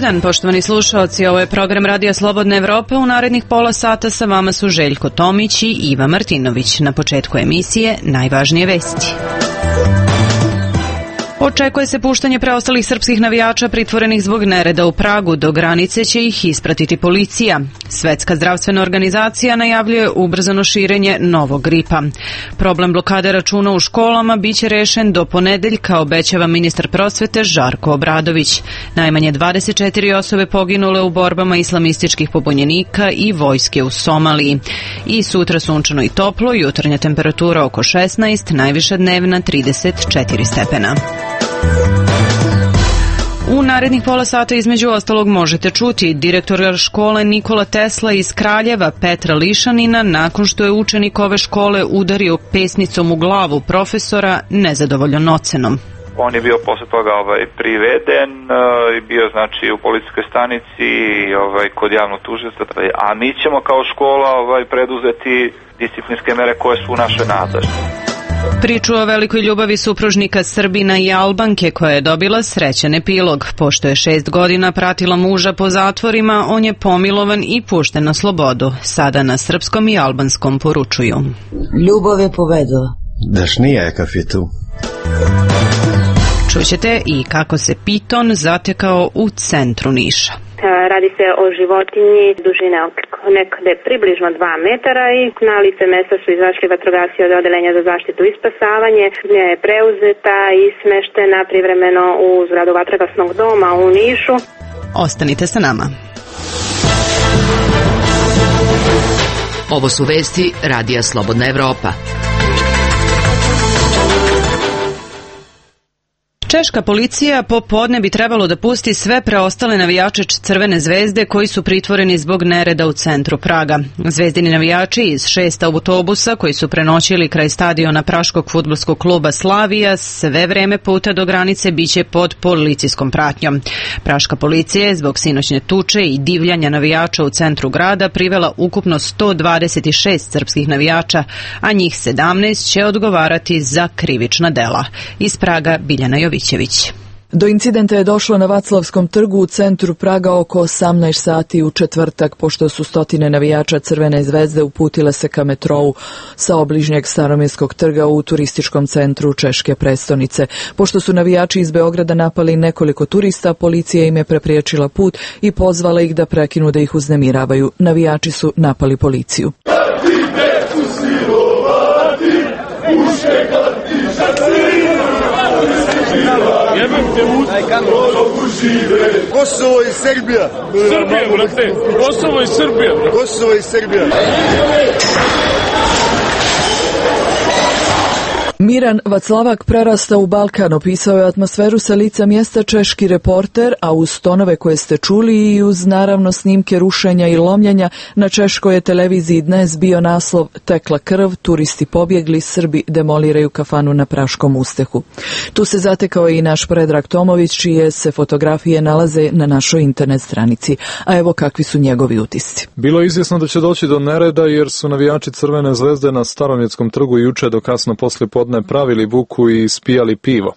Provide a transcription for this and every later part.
dan, poštovani slušaoci, ovo je program Radija Slobodne Evrope. U narednih pola sata sa vama su Željko Tomić i Iva Martinović. Na početku emisije najvažnije vesti. Očekuje se puštanje preostalih srpskih navijača pritvorenih zbog nereda u Pragu. Do granice će ih ispratiti policija. Svetska zdravstvena organizacija najavljuje ubrzano širenje novog gripa. Problem blokade računa u školama biće rešen do ponedeljka, obećava ministar prosvete Žarko Obradović. Najmanje 24 osobe poginule u borbama islamističkih pobunjenika i vojske u Somaliji. I sutra sunčano i toplo, jutarnja temperatura oko 16, najviša dnevna 34 stepena. U narednih pola sata između ostalog možete čuti direktora škole Nikola Tesla iz Kraljeva Petra Lišanina nakon što je učenik ove škole udario pesnicom u glavu profesora nezadovoljan ocenom. On je bio posle toga priveden i bio znači u policijskoj stanici kod javnog tužioca, a mi ćemo kao škola preduzeti disciplinske mere koje su u našoj nadležnosti. Priču o velikoj ljubavi supružnika Srbina i Albanke koja je dobila srećan epilog. Pošto je 6 godina pratila muža po zatvorima, on je pomilovan i pušten na slobodu. Sada na srpskom i albanskom poručuju. Ljubav je pobedila. Dašnijakav je tu. Čućete i kako se piton zatekao u centru Niša. Radi se o životinji dužine nekde približno 2 metara i na lice mesta su izašli vatrogasci od Odeljenja za zaštitu i spasavanje. Nje je preuzeta i smeštena privremeno u zgradu vatrogasnog doma u Nišu. Ostanite sa nama. Ovo su vesti Radija Slobodna Evropa. Češka policija popodne bi trebalo da pusti sve preostale navijače Crvene zvezde koji su pritvoreni zbog nereda u centru Praga. Zvezdini navijači iz 6 autobusa koji su prenoćili kraj stadiona praškog fudbalskog kluba Slavija sve vreme puta do granice biće pod policijskom pratnjom. Praška policija je zbog sinoćne tuče i divljanja navijača u centru grada privela ukupno 126 srpskih navijača, a njih 17 će odgovarati za krivična dela. Iz Praga Biljana Jovićević. Do incidenta je došlo na Vaclavskom trgu u centru Praga oko 18 sati u četvrtak, pošto su stotine navijača Crvene zvezde uputile se ka metrou sa obližnjeg Staromirskog trga u turističkom centru češke prestonice. Pošto su navijači iz Beograda napali nekoliko turista, policija im je prepriječila put i pozvala ih da prekinu da ih uznemiravaju. Navijači su napali policiju. Kosovo i Srbija. Srbija, brate. Kosovo i Srbija. Kosovo i Srbija. Miran Vaclavak prerasta u Balkan, opisao je atmosferu sa lica mjesta češki reporter, a uz tonove koje ste čuli i uz naravno snimke rušenja i lomljenja na češkoj televiziji dnes bio naslov Tekla krv, turisti pobjegli, Srbi demoliraju kafanu na Praškom ustehu. Tu se zatekao i naš Predrag Tomović, čije se fotografije nalaze na našoj internet stranici. A evo kakvi su njegovi utisci. Bilo je izvjesno da će doći do nereda jer su navijači Crvene zvezde na Staromjetskom trgu juče do kasno poslije podne pravili buku i ispijali pivo.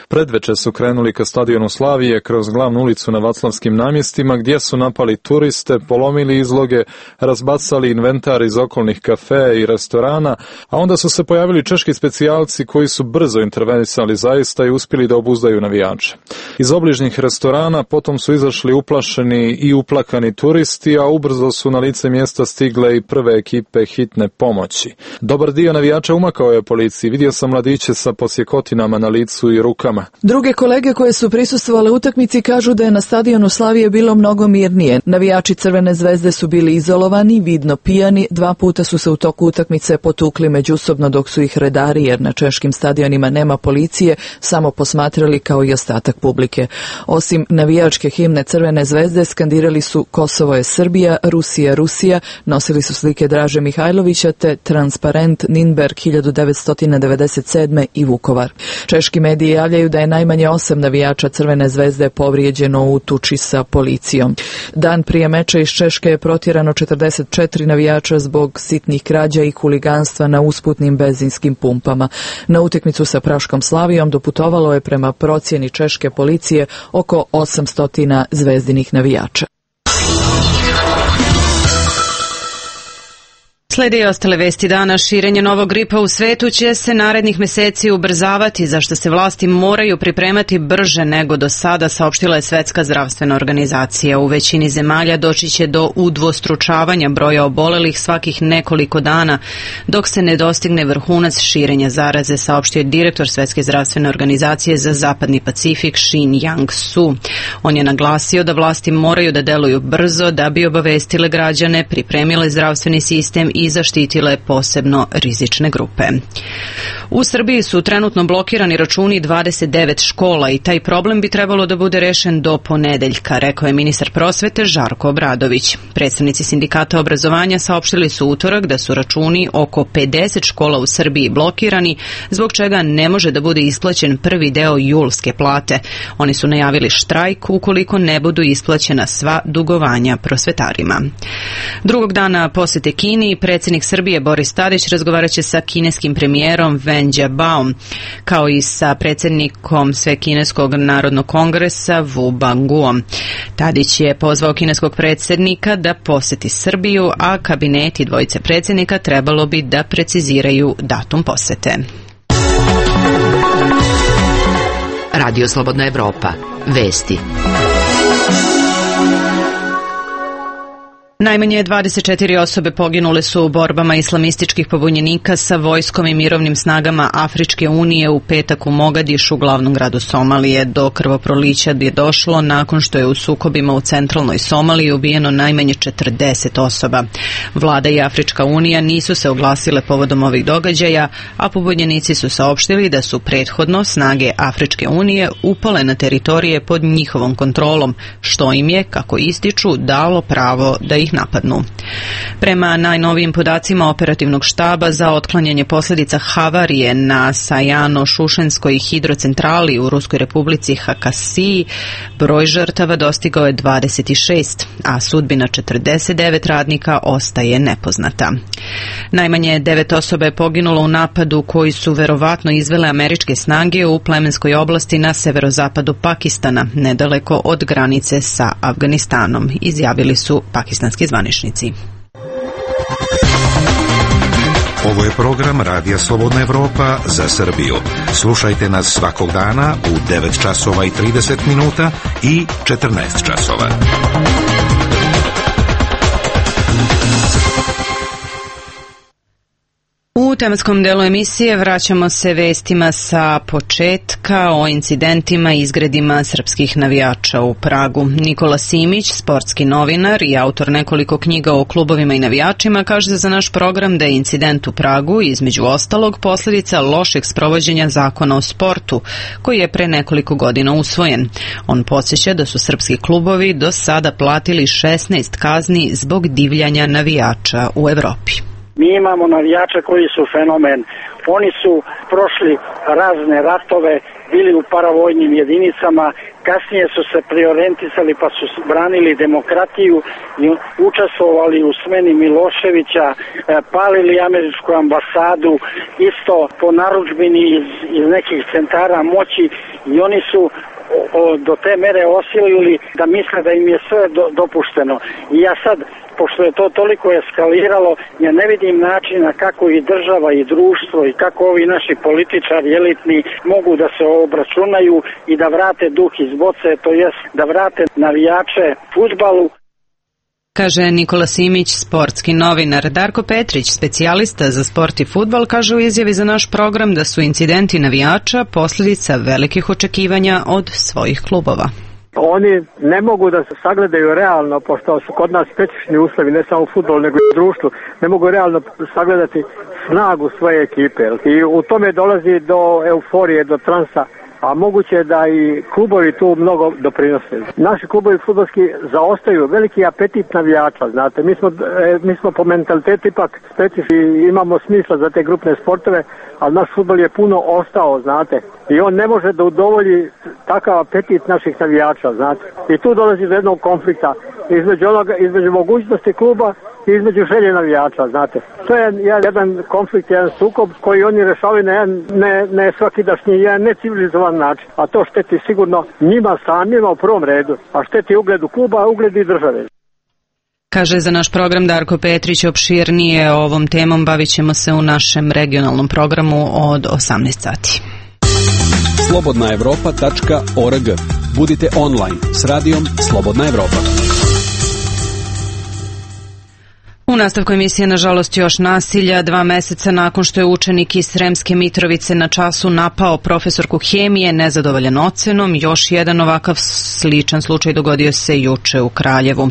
Predveče su krenuli ka stadionu Slavije kroz glavnu ulicu na Vaclavskim namjestima gdje su napali turiste, polomili izloge, razbacali inventar iz okolnih kafea i restorana, a onda su se pojavili češki specijalci koji su brzo intervenisali zaista i uspjeli da obuzdaju navijače. Iz obližnjih restorana potom su izašli uplašeni i uplakani turisti, a ubrzo su na lice mjesta stigle i prve ekipe hitne pomoći. Dobar dio navijača umakao je policiji, vidio sam mladiće sa posjekotinama na licu i rukama. Druge kolege koje su prisustvovale utakmici kažu da je na stadionu Slavije bilo mnogo mirnije. Navijači Crvene zvezde su bili izolovani, vidno pijani, 2 puta su se u toku utakmice potukli međusobno dok su ih redari, jer na češkim stadionima nema policije, samo posmatrali kao i ostatak publike. Osim navijačke himne Crvene zvezde skandirali su Kosovo je Srbija, Rusija, Rusija, nosili su slike Draže Mihajlovića te transparent Ninberg 1990 1997. i Vukovar. Češki mediji javljaju da je najmanje 8 navijača Crvene zvezde povrijeđeno u tuči sa policijom. Dan prije meča iz Češke je protjerano 44 navijača zbog sitnih krađa i huliganstva na usputnim benzinskim pumpama. Na utakmicu sa Praškom Slavijom doputovalo je prema procjeni češke policije oko 800 zvezdinih navijača. Slijede i ostale vesti dana. Širenje novog gripa u svetu će se narednih mjeseci ubrzavati, za što se vlasti moraju pripremati brže nego do sada, saopštila je Svjetska zdravstvena organizacija. U većini zemalja doći će do udvostručavanja broja obolelih svakih nekoliko dana, dok se ne dostigne vrhunac širenja zaraze, saopštio je direktor Svjetske zdravstvene organizacije za Zapadni Pacifik Xin-Yang Su. On je naglasio da vlasti moraju da deluju brzo da bi obavestile građane, pripremile zdravstveni sistem i zaštitile posebno rizične grupe. U Srbiji su trenutno blokirani računi 29 škola i taj problem bi trebalo da bude rešen do ponedeljka, rekao je ministar prosvete Žarko Obradović. Predstavnici sindikata obrazovanja saopštili su utorak da su računi oko 50 škola u Srbiji blokirani, zbog čega ne može da bude isplaćen prvi deo julske plate. Oni su najavili štrajk ukoliko ne budu isplaćena sva dugovanja prosvetarima. Drugog dana posete Kini, predsjednik Srbije Boris Tadić razgovaraće sa kineskim premijerom Wen Jiabaom, kao i sa predsjednikom Svekineskog narodnog kongresa Wu Banguom. Tadić je pozvao kineskog predsjednika da poseti Srbiju, a kabineti dvojice predsjednika trebalo bi da preciziraju datum posete. Radio Slobodna Evropa. Vesti. Najmanje 24 osobe poginule su u borbama islamističkih pobunjenika sa vojskom i mirovnim snagama Afričke unije u petak u Mogadišu, glavnom gradu Somalije. Do krvoprolića je došlo nakon što je u sukobima u centralnoj Somaliji ubijeno najmanje 40 osoba. Vlada i Afrička unija nisu se oglasile povodom ovih događaja, a pobunjenici su saopštili da su prethodno snage Afričke unije upale na teritorije pod njihovom kontrolom, što im je, kako ističu, dalo pravo da ih napadnu. Prema najnovijim podacima operativnog štaba za otklanjanje posljedica havarije na Sajano-Šušenskoj hidrocentrali u Ruskoj republici Hakasiji, broj žrtava dostigao je 26, a sudbina 49 radnika ostaje nepoznata. Najmanje 9 osoba je poginulo u napadu koji su verovatno izvele američke snage u plemenskoj oblasti na severozapadu Pakistana, nedaleko od granice sa Afganistanom, izjavili su pakistanski zvaničnici. Ovo je program Radija Slobodna Evropa za Srbiju. Slušajte nas svakog dana u 9 časova i 30 minuta i 14 časova. U tematskom delu emisije vraćamo se vestima sa početka o incidentima i izgredima srpskih navijača u Pragu. Nikola Simić, sportski novinar i autor nekoliko knjiga o klubovima i navijačima, kaže za naš program da je incident u Pragu između ostalog posljedica lošeg sprovođenja zakona o sportu, koji je pre nekoliko godina usvojen. On podsjeća da su srpski klubovi do sada platili 16 kazni zbog divljanja navijača u Evropi. Mi imamo navijače koji su fenomen. Oni su prošli razne ratove, bili u paravojnim jedinicama, kasnije su se preorijentisali pa su branili demokratiju i učestvovali u smeni Miloševića, palili američku ambasadu, isto po narudžbini iz nekih centara moći, i oni su do te mere osilili da misle da im je sve dopušteno. I ja sad, pošto je to toliko eskaliralo, ja ne vidim načina kako i država i društvo i kako ovi naši političari elitni mogu da se obračunaju i da vrate duh iz boce, to jest da vrate navijače fudbalu. Kaže Nikola Simić, sportski novinar. Darko Petrić, specijalista za sport i fudbal, kaže u izjavi za naš program da su incidenti navijača posljedica velikih očekivanja od svojih klubova. Oni ne mogu da se sagledaju realno, pošto su kod nas specifični uslovi, ne samo u fudbalu nego i u društvu, ne mogu realno sagledati snagu svoje ekipe. I u tome dolazi do euforije, do transa a moguće da i klubovi tu mnogo doprinose. Naši klubovi fudbalski zaostaju, veliki apetit navijača, znate, mi smo po mentalitetu ipak specifični, imamo smisla za te grupne sportove, ali naš fudbal je puno ostao, znate, i on ne može da udovolji takav apetit naših navijača, znate, i tu dolazi do jednog konflikta između mogućnosti kluba i između želje navijača, znate. To je jedan konflikt, jedan sukob koji oni rešavaju na jedan ne svakidašnji, jedan necivilizovan način, a to šteti sigurno njima samima u prvom redu, a šteti ugledu kluba, a ugledu i države. Kaže za naš program Darko Petrić. Opširnije ovom temom bavit ćemo se u našem regionalnom programu od 18 sati. slobodnaevropa.org. Budite online s radijom Slobodna Evropa. U nastavku emisije, nažalost, još nasilja. 2 meseca nakon što je učenik iz Sremske Mitrovice na času napao profesorku hemije nezadovoljan ocenom, još jedan ovakav sličan slučaj dogodio se juče u Kraljevu.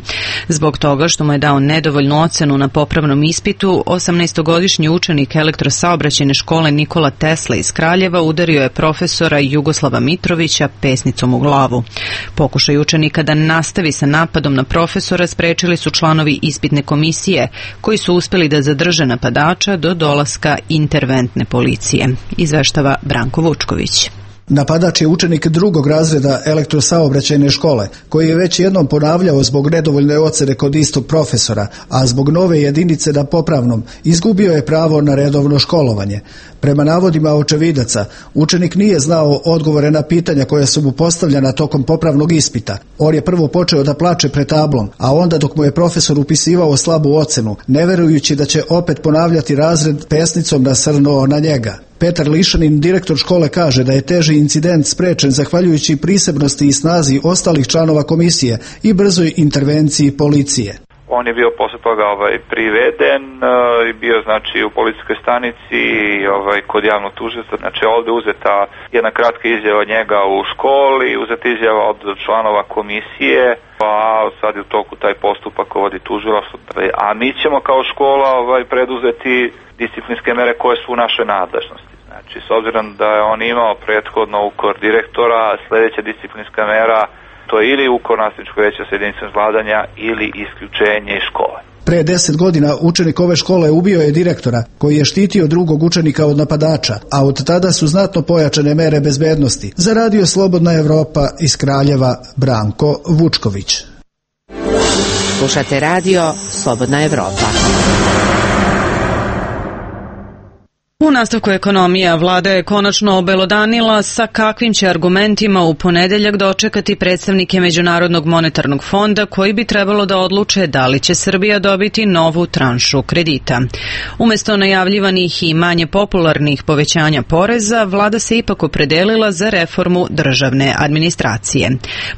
Zbog toga što mu je dao nedovoljnu ocenu na popravnom ispitu, 18-godišnji učenik elektrosaobraćajne škole Nikola Tesla iz Kraljeva udario je profesora Jugoslava Mitrovića pesnicom u glavu. Pokušaj učenika da nastavi sa napadom na profesora sprečili su članovi ispitne komisije, koji su uspjeli da zadrže napadača do dolaska interventne policije. Izveštava Branko Vučković. Napadač je učenik 2. razreda elektrosaobraćajne škole, koji je već jednom ponavljao zbog nedovoljne ocene kod istog profesora, a zbog nove jedinice na popravnom izgubio je pravo na redovno školovanje. Prema navodima očevidaca, učenik nije znao odgovore na pitanja koja su mu postavljena tokom popravnog ispita. On je prvo počeo da plače pred tablom, a onda dok mu je profesor upisivao slabu ocenu, ne verujući da će opet ponavljati razred, pesnicom nasrnuo na njega. Petar Lišanin, direktor škole, kaže da je teži incident sprečen zahvaljujući prisebnosti i snazi ostalih članova komisije i brzoj intervenciji policije. On je bio posle toga priveden i bio znači u policijskoj stanici kod javnog tužioca. Znači ovde uzeta jedna kratka izjava njega u školi, uzeta izjava od članova komisije, pa sad je u toku taj postupak vodi tužilaštvo. A mi ćemo kao škola preduzeti disciplinske mere koje su u našoj nadležnosti. Znači, s obzirom da je on imao prethodno ukor direktora, sljedeća disciplinska mera to je ili ukor nastavničkog veća sa jedinicom vladanja ili isključenje iz škole. Pre 10 godina učenik ove škole ubio je direktora koji je štitio drugog učenika od napadača, a od tada su znatno pojačane mere bezbednosti. Za Radio Slobodna Evropa iz Kraljeva, Branko Vučković. Slušate Radio Slobodna Evropa. U nastavku ekonomija, vlada je konačno obelodanila sa kakvim će argumentima u ponedeljak dočekati predstavnike Međunarodnog monetarnog fonda koji bi trebalo da odluče da li će Srbija dobiti novu tranšu kredita. Umesto najavljivanih i manje popularnih povećanja poreza, vlada se ipak opredelila za reformu državne administracije.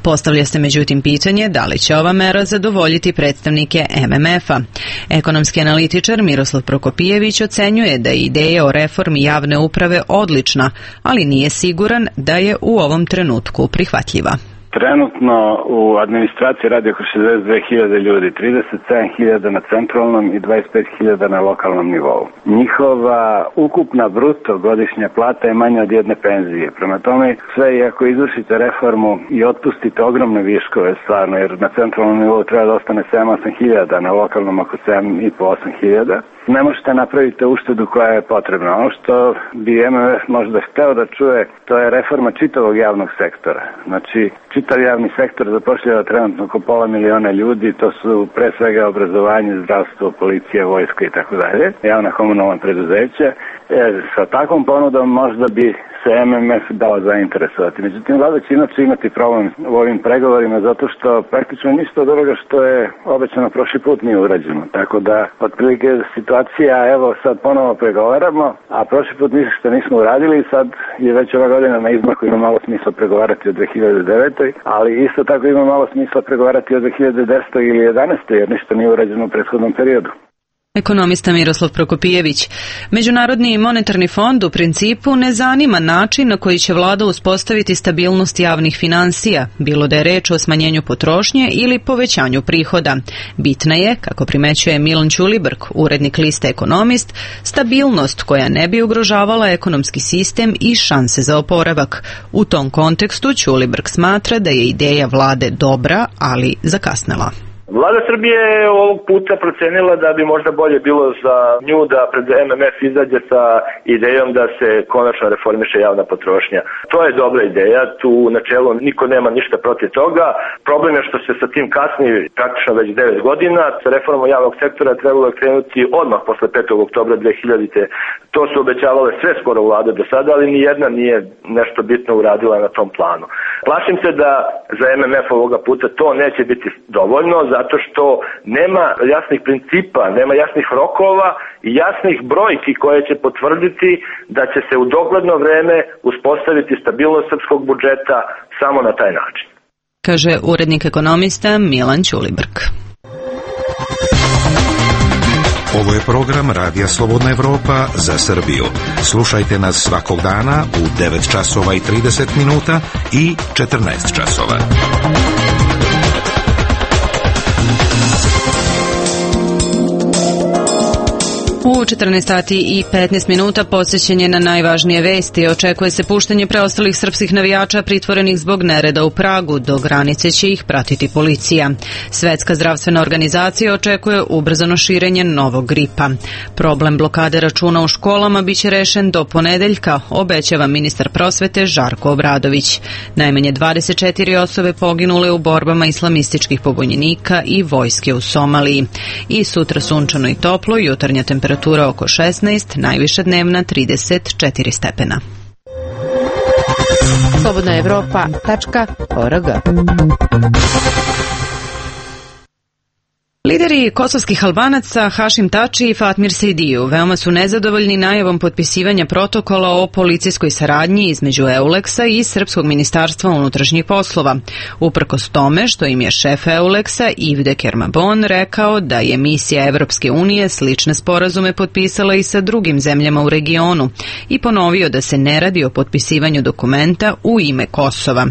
Postavlja se međutim pitanje da li će ova mera zadovoljiti predstavnike MMF-a. Ekonomski analitičar Miroslav Prokopijević ocenjuje da je ideja o reformi javne uprave odlična, ali nije siguran da je u ovom trenutku prihvatljiva. Trenutno u administraciji radi oko 62.000 ljudi, 37.000 na centralnom i 25.000 na lokalnom nivou. Njihova ukupna bruto godišnja plata je manja od jedne penzije. Prema tome, sve i ako izvršite reformu i otpustite ogromne viškove stvarno, jer na centralnom nivou treba da ostane 7-8.000, na lokalnom oko 7.500-8.000, ne možete napraviti uštedu koja je potrebna. Ono što bi MMF možda hteo da čuje, to je reforma čitavog javnog sektora. Znači, čitav javni sektor zapošljava trenutno oko 500.000 ljudi, to su pre svega obrazovanje, zdravstvo, policija, vojska i tako dalje, javna komunalna preduzeća. Sa takvom ponudom možda bi se MMF dao zainteresovati. Međutim, vlada će inače imati problem u ovim pregovorima zato što praktično ništa od ovoga što je obećano prošli put nije urađeno. Tako da, otprilike situacija, evo sad ponovo pregovaramo, a prošli put ništa nismo uradili i sad je već ova godina na izmaku, ima malo smisla pregovarati o 2009. Ali isto tako ima malo smisla pregovarati o 2010. ili 2011. jer ništa nije urađeno u prethodnom periodu. Ekonomista Miroslav Prokopijević. Međunarodni monetarni fond u principu ne zanima način na koji će vlada uspostaviti stabilnost javnih finansija, bilo da je reč o smanjenju potrošnje ili povećanju prihoda. Bitna je, kako primećuje Milan Ćulibrk, urednik liste Ekonomist, stabilnost koja ne bi ugrožavala ekonomski sistem i šanse za oporavak. U tom kontekstu Ćulibrk smatra da je ideja vlade dobra, ali zakasnela. Vlada Srbije je ovog puta procenila da bi možda bolje bilo za nju da pred MMF izađe sa idejom da se konačno reformiše javna potrošnja. To je dobra ideja, tu u načelu niko nema ništa protiv toga. Problem je što se sa tim kasni praktično već 9 godina. Sa reformom javnog sektora trebalo je krenuti odmah posle 5. oktobra 2000. To su obećavale sve skoro vlade do sada, ali ni jedna nije nešto bitno uradila na tom planu. Plašim se da za MMF ovoga puta to neće biti dovoljno, zato što nema jasnih principa, nema jasnih rokova i jasnih brojki koje će potvrditi da će se u dogledno vreme uspostaviti stabilnost srpskog budžeta samo na taj način. Kaže urednik Ekonomista Milan Ćulibrk. Ovo je program Radija Slobodna Evropa za Srbiju. Slušajte nas svakog dana u 9 časova i 30 minuta i 14 časova. U 14 sati i 15 minuta posjećen je na najvažnije vesti. Očekuje se puštanje preostalih srpskih navijača pritvorenih zbog nereda u Pragu. Do granice će ih pratiti policija. Svetska zdravstvena organizacija očekuje ubrzano širenje novog gripa. Problem blokade računa u školama biće rešen do ponedeljka, obećava ministar prosvete Žarko Obradović. Najmanje 24 osobe poginule u borbama islamističkih pobunjenika i vojske u Somaliji. I sutra sunčano i toplo, jutarnja temperatura oko 16, najviša dnevna 34 stepena. slobodnaevropa.org. Lideri kosovskih Albanaca Hašim Tači i Fatmir Sejdiju veoma su nezadovoljni najavom potpisivanja protokola o policijskoj saradnji između EULEX-a i Srpskog ministarstva unutrašnjih poslova. Uprkos tome što im je šef EULEX-a Ivde Kermabon rekao da je misija Evropske unije slične sporazume potpisala i sa drugim zemljama u regionu i ponovio da se ne radi o potpisivanju dokumenta u ime Kosova.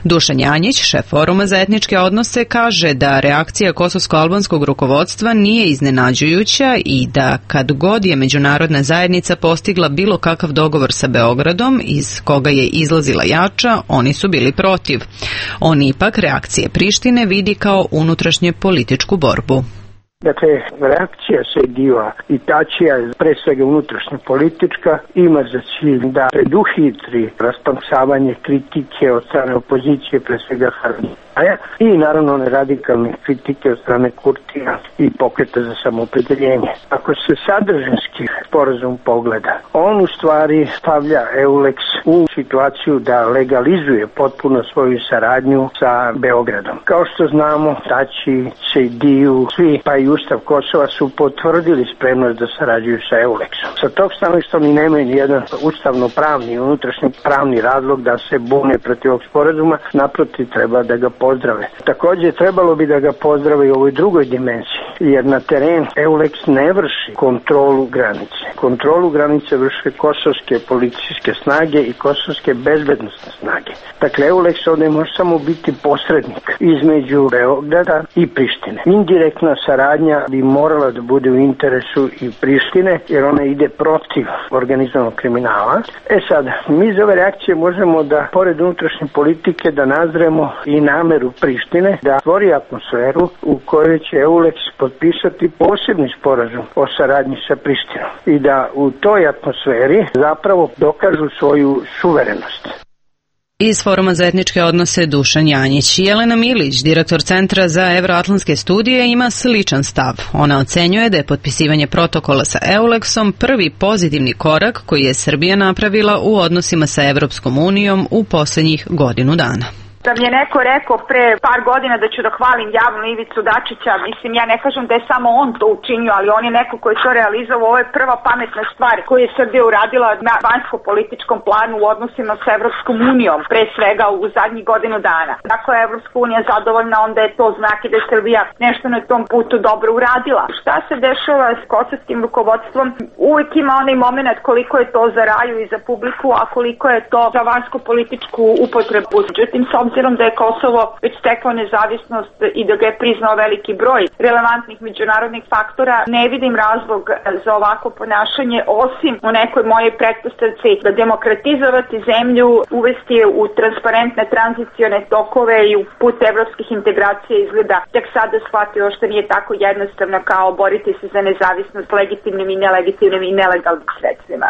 Dušan Janjić, šef Foruma za etničke odnose, kaže da reakcija kosovsko-albanskog rukovodstva nije iznenađujuća i da kad god je međunarodna zajednica postigla bilo kakav dogovor sa Beogradom iz koga je izlazila jača, oni su bili protiv. On ipak reakcije Prištine vidi kao unutrašnje političku borbu. Dakle, reakcija Sejdijeva i Tačija je pre svega unutrašnja politička, ima za cilj da preduhitri rasplamsavanje kritike od strane opozicije, pre svega Harnaja, i naravno one radikalne kritike od strane Kurtija i pokreta za samoopredeljenje. Ako se sadržinski sporazum pogleda, on u stvari stavlja EULEX u situaciju da legalizuje potpuno svoju saradnju sa Beogradom. Kao što znamo, Tači, Sejdiju, svi pa i Ustav Kosova su potvrdili spremnost da sarađuju sa EULEX-om. Sa tog stanovišta oni nemaju ni jedan ustavno-pravni, unutrašnji pravni razlog da se bune protiv ovog sporazuma, naprotiv treba da ga pozdrave. Također trebalo bi da ga pozdrave i u ovoj drugoj dimenziji, jer na teren EULEX ne vrši kontrolu granice. Kontrolu granice vrše kosovske policijske snage i kosovske bezbednostne snage. Dakle, EULEX ovdje može samo biti posrednik između Beograda i Prištine. Indirektna saradnja bi morala da bude u interesu i Prištine, jer ona ide protiv organizovanog kriminala. Sad, mi iz ove reakcije možemo da, pored unutrašnje politike, da nazremo i nameru Prištine da stvori atmosferu u kojoj će EULEX potpisati posebni sporazum o saradnji sa Prištinom i da u toj atmosferi zapravo dokažu svoju suverenost. Iz Foruma za etničke odnose Dušan Janjić. Jelena Milić, direktor Centra za evroatlantske studije, ima sličan stav. Ona ocenjuje da je potpisivanje protokola sa EULEX-om prvi pozitivni korak koji je Srbija napravila u odnosima sa Evropskom unijom u posljednjih godinu dana. Da mi je neko rekao pre par godina da ću da hvalim javno Ivicu Dačića, mislim, ja ne kažem da je samo on to učinio, ali on je neko koji je to realizovao. Ovo je prva pametna stvar koju je Srbija uradila na vanjsko-političkom planu u odnosima sa Evropskom unijom, pre svega u zadnjih godinu dana. Ako je Evropska unija zadovoljna, onda je to znak i da je Srbija nešto na tom putu dobro uradila. Šta se dešava s kosovskim rukovodstvom? Uvijek ima onaj moment koliko je to za raju i za publiku, a koliko je to za vanjsko-političku upotrebu. Međutim, s obzirom da je Kosovo već steklo nezavisnost i da ga je priznao veliki broj relevantnih međunarodnih faktora, ne vidim razlog za ovako ponašanje, osim u nekoj mojej pretpostavci da demokratizovati zemlju, uvesti je u transparentne tranzicione tokove i u put evropskih integracija izgleda tek sada shvatio što nije tako jednostavno kao boriti se za nezavisnost legitimnim i nelegitimnim i nelegalnim sredstvima.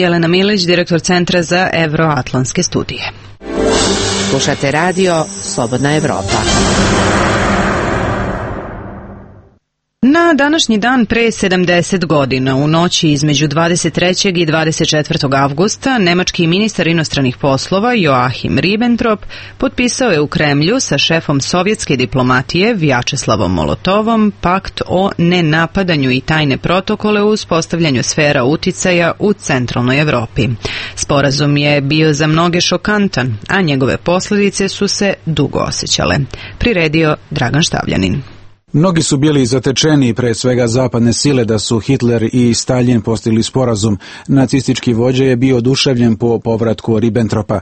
Jelena Milić, direktor Centra za evroatlantske studije. Slušate radio Slobodna Evropa. Na današnji dan pre 70 godina, u noći između 23. i 24. avgusta, nemački ministar inostranih poslova Joachim Ribbentrop potpisao je u Kremlju sa šefom sovjetske diplomatije Vjačeslavom Molotovom pakt o nenapadanju i tajne protokole u uspostavljanju sfera uticaja u centralnoj Evropi. Sporazum je bio za mnoge šokantan, a njegove posljedice su se dugo osjećale. Priredio Dragan Štavljanin. Mnogi su bili zatečeni, pre svega zapadne sile, da su Hitler i Stalin postigli sporazum. Nacistički vođa je bio oduševljen po povratku Ribbentropa.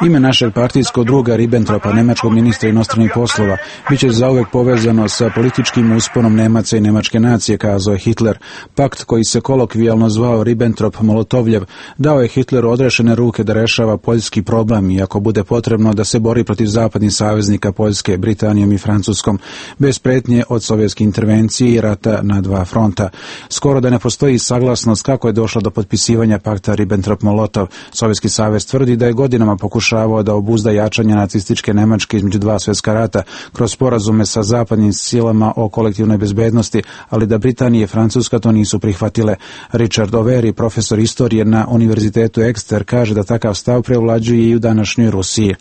Ime našeg partijskog druga Ribbentropa, nemačkog ministra inostranih poslova, bit će zauvek povezano sa političkim usponom Nemaca i nemačke nacije, kazao je Hitler. Pakt koji se kolokvijalno zvao Ribbentrop-Molotovljev dao je Hitleru odrešene ruke da rešava poljski problem i ako bude potrebno da se bori protiv zapadnih saveznika Poljske, Britanijom i Francuskom, bez pretnje od sovjetske intervencije i rata na dva fronta. Skoro da ne postoji saglasnost kako je došlo do potpisivanja pakta Ribbentrop-Molotov. Sovjetski savez tvrdi da je godinama pokušavao da obuzda jačanje nacističke Nemačke između dva svjetska rata kroz sporazume sa zapadnim silama o kolektivnoj bezbednosti, ali da Britanija i Francuska to nisu prihvatile. Richard Overi, profesor istorije na Univerzitetu Exeter, kaže da takav stav prevlađuje i u današnjoj Rusiji.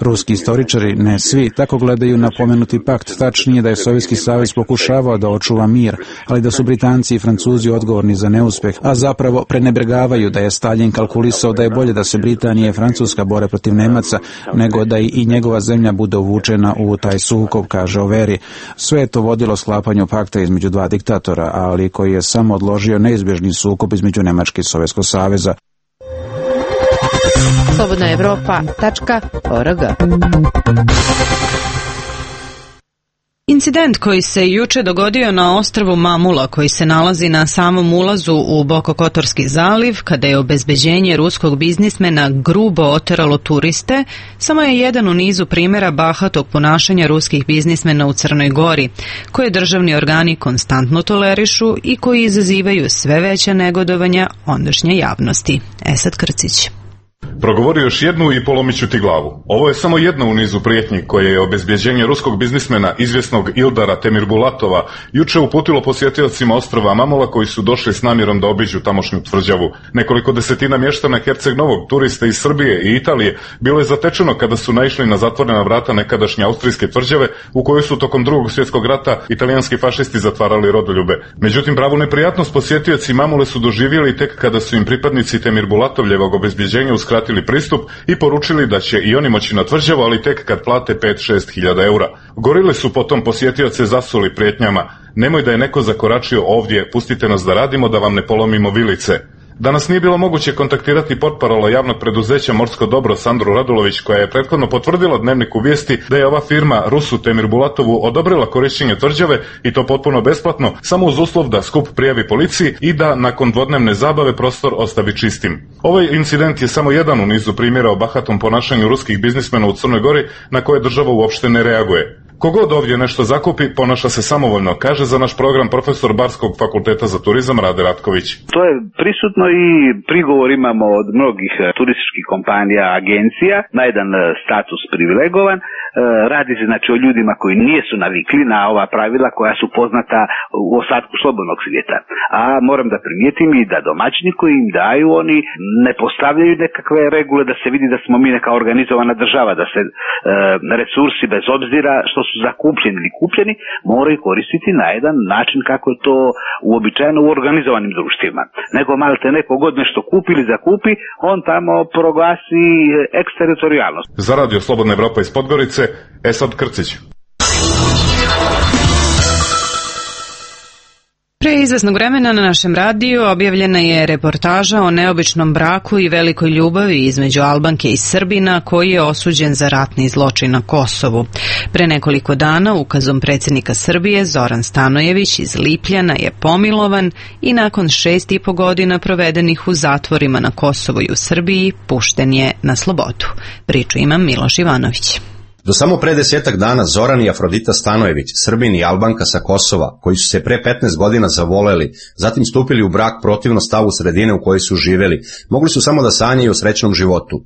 Ruski istoričari, ne svi, tako gledaju na pomenuti pakt. Tačnije da je Sovjetski savez pokušavao da očuva mir, ali da su Britanci i Francuzi odgovorni za neuspeh, a zapravo prenebregavaju da je Stalin kalkulisao da je bolje da se Britanija i Francuska bore protiv Nemaca, nego da i njegova zemlja bude uvučena u taj sukob, kaže Overi. Sve je to vodilo sklapanju pakta između dva diktatora, ali koji je samo odložio neizbježni sukob između Nemačke i Sovjetskog saveza. slobodnaevropa.org. Incident koji se juče dogodio na ostrvu Mamula, koji se nalazi na samom ulazu u Bokokotorski zaliv, kada je obezbeđenje ruskog biznismena grubo oteralo turiste, samo je jedan u nizu primjera bahatog ponašanja ruskih biznismena u Crnoj Gori, koje državni organi konstantno tolerišu i koji izazivaju sve veća negodovanja ondašnje javnosti. Esad Krcić. Progovorio još jednu i polomit ću ti glavu. Ovo je samo jedna u nizu prijetnji koje je obezbjeđenje ruskog biznismena izvjesnog Ildara Temirbulatova juče uputilo posjetiocima ostrva Mamula koji su došli s namjerom da obiđu tamošnju tvrđavu. Nekoliko desetina mještana Herceg Novog, turista iz Srbije i Italije, bilo je zatečeno kada su naišli na zatvorena vrata nekadašnje austrijske tvrđave u kojoj su tokom Drugog svjetskog rata italijanski fašisti zatvarali rodoljube. Međutim, pravu neprijatnost posjetioci Mamule su doživjeli tek kada su im pripadnici Temirbulatov obezbjeđenja uskratili pristup i poručili da će i oni moći na tvrđavu, ali tek kad plate 5-6 hiljada eura. Gorile su potom posjetioce zasuli prijetnjama: nemoj da je neko zakoračio ovdje, pustite nas da radimo, da vam ne polomimo vilice. Danas nije bilo moguće kontaktirati portparola javnog preduzeća Morsko dobro Sandru Radulović, koja je prethodno potvrdila Dnevniku vijesti da je ova firma Rusu Temirbulatovu odobrila korištenje tvrđave i to potpuno besplatno, samo uz uslov da skup prijavi policiji i da nakon dvodnevne zabave prostor ostavi čistim. Ovaj incident je samo jedan u nizu primjera o bahatom ponašanju ruskih biznismena u Crnoj Gori na koje država uopšte ne reaguje. Kogod ovdje nešto zakupi, ponaša se samovoljno, kaže za naš program profesor Barskog fakulteta za turizam Rade Ratković. To je prisutno i prigovor imamo od mnogih turističkih kompanija, agencija, na jedan status privilegovan. radi se znači o ljudima koji nisu navikli na ova pravila koja su poznata u ostatku slobodnog svijeta. A moram da primijetim i da domaćini koji im daju, oni ne postavljaju nekakve regule da se vidi da smo mi neka organizovana država, da se resursi bez obzira što su zakupljeni ili kupljeni moraju koristiti na jedan način kako je to uobičajeno u organizovanim društvima. Nego malte neko god nešto kupi ili zakupi, on tamo proglasi eksteritorijalnost. Za Radio Slobodna Evropa iz Podgorice, Esad Krcić. Pre izvesnog vremena na našem radiju objavljena je reportaža o neobičnom braku i velikoj ljubavi između Albanke i Srbina koji je osuđen za ratni zločin na Kosovu. Pre nekoliko dana ukazom predsjednika Srbije Zoran Stanojević iz Lipljana je pomilovan i nakon 6,5 godina provedenih u zatvorima na Kosovu i u Srbiji pušten je na slobodu. Priču ima Miloš Ivanović. Do samo pre 10 dana Zoran i Afrodita Stanojević, Srbin i Albanka sa Kosova, koji su se pre 15 godina zavoleli, zatim stupili u brak protivno stavu sredine u kojoj su živjeli, mogli su samo da sanjaju o srećnom životu.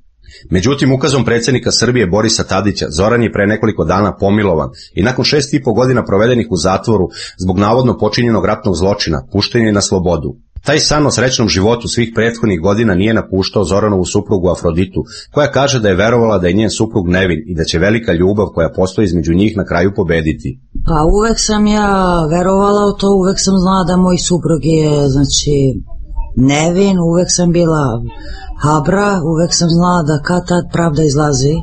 Međutim, ukazom predsjednika Srbije Borisa Tadića, Zoran je pre nekoliko dana pomilovan i nakon 6,5 godina provedenih u zatvoru zbog navodno počinjenog ratnog zločina, pušten je na slobodu. Taj san o srećnom životu svih prethodnih godina nije napuštao Zoranovu suprugu Afroditu, koja kaže da je verovala da je njen suprug nevin i da će velika ljubav koja postoji između njih na kraju pobediti. Pa uvek sam ja verovala u to, uvek sam znala da moj suprug je, znači, nevin, uvek sam bila habra, uvek sam znala da kad tad pravda izlazi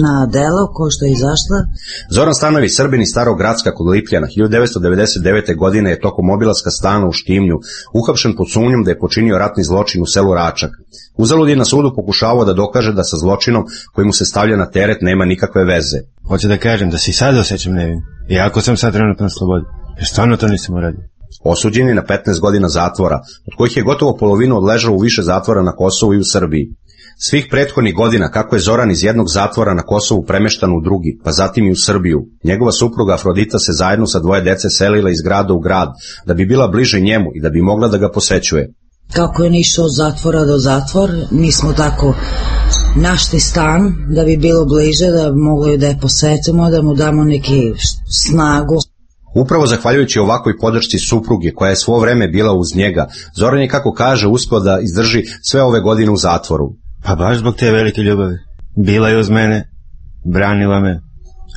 na delo, ko što je izašla. Zoran Stanojević, Srbin iz Starog Gracka kod Lipljana, 1999. godine je tokom obilaska stana u Štimlju uhapšen pod sumnjom da je počinio ratni zločin u selu Račak. Uzalud je na sudu pokušavao da dokaže da sa zločinom koji mu se stavlja na teret nema nikakve veze. Hoću da kažem da se i sad osjećam nevin, iako sam sad trenutno na slobodi, jer stvarno to nisam uradio. Osuđen je na 15 godina zatvora, od kojih je gotovo polovinu odležao u više zatvora na Kosovu i u Srbiji. Svih prethodnih godina, kako je Zoran iz jednog zatvora na Kosovu premeštan u drugi, pa zatim i u Srbiju, njegova supruga Afrodita se zajedno sa 2 dece selila iz grada u grad, da bi bila bliže njemu i da bi mogla da ga posećuje. Kako je išao od zatvora do zatvor, mi smo tako našli stan da bi bilo bliže, da mogli da je posetimo, da mu damo neki snagu. Upravo zahvaljujući ovakvoj podršci supruge koja je svo vreme bila uz njega, Zoran je, kako kaže, uspio da izdrži sve ove godine u zatvoru. Pa baš zbog te velike ljubavi. Bila je uz mene, branila me,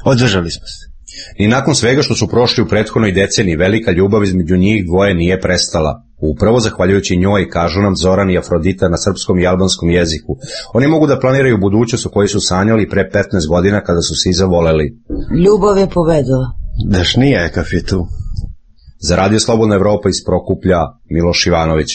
održali smo se. I nakon svega što su prošli u prethodnoj deceniji, velika ljubav između njih dvoje nije prestala. Upravo zahvaljujući njoj, kažu nam Zoran i Afrodita na srpskom i albanskom jeziku, oni mogu da planiraju budućnost o kojoj su sanjali pre 15 godina kada su se zavoleli. Ljubav je pobedila. Daš nije kakav je tu. Za Radio Slobodna Evropa iz Prokuplja, Miloš Ivanović.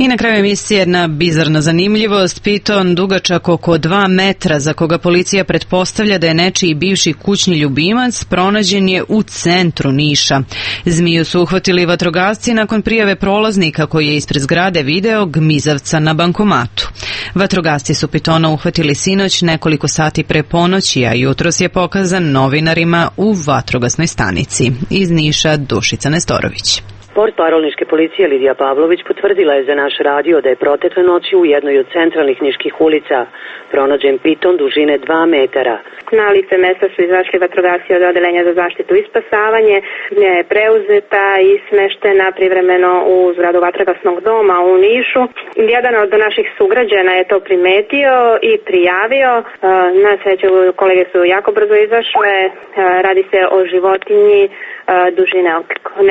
I na kraju emisije jedna bizarna zanimljivost. Piton dugačak oko 2 metra, za koga policija pretpostavlja da je nečiji bivši kućni ljubimac, pronađen je u centru Niša. Zmiju su uhvatili vatrogasci nakon prijave prolaznika koji je ispred zgrade video gmizavca na bankomatu. Vatrogasci su pitona uhvatili sinoć nekoliko sati pre ponoći, a jutros je pokazan novinarima u vatrogasnoj stanici. Iz Niša Dušica Nestorović. Portparolničke policije Lidija Pavlović potvrdila je za naš radio da je protekle noći u jednoj od centralnih niških ulica pronađen piton dužine 2 metara. Na lice mesta su izašli vatrogasci od Odeljenja za zaštitu i spasavanje. Nja je preuzeta i smeštena privremeno u zgradu vatrogasnog doma u Nišu. Jedan od naših sugrađana je to primetio i prijavio. Na sreću kolege su jako brzo izašle. Radi se o životinji dužine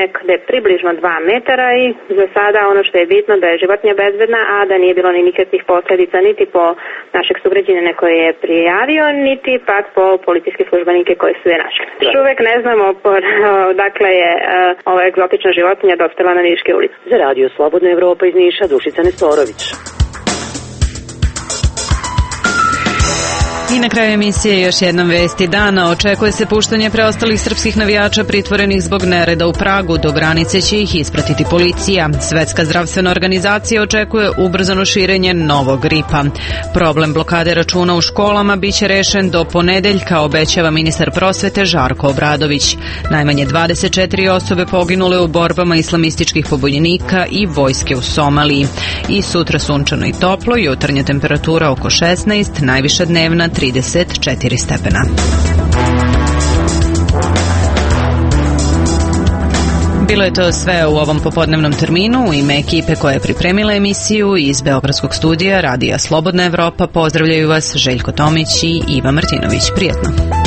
nekde približno 2 metara i za sada ono što je bitno da je životinja bezbedna, a da nije bilo ni nikakvih posljedica niti po našeg sugrađanina koji je prijavio, niti pak po policijske službenike koji su je našli. Još uvek ne znamo dakle je ova egzotična životinja dospela na Niške ulice. Za Radio Slobodna Evropa iz Niša Dušica Nestorović. I I na kraju emisije još jednom vesti dana. Očekuje se puštanje preostalih srpskih navijača pritvorenih zbog nereda u Pragu. Do granice će ih ispratiti policija. Svetska zdravstvena organizacija očekuje ubrzano širenje novog gripa. Problem blokade računa u školama biće rešen do ponedeljka, obećava ministar prosvete Žarko Obradović. Najmanje 24 osobe poginule u borbama islamističkih pobunjenika i vojske u Somaliji. I sutra sunčano i toplo, jutarnja temperatura oko 16, najviša dnevna 34 stepena. Bilo je to sve u ovom popodnevnom terminu. U ime ekipe koja je pripremila emisiju iz Beogradskog studija Radija Slobodna Evropa pozdravljaju vas Željko Tomić i Iva Martinović. Prijetno.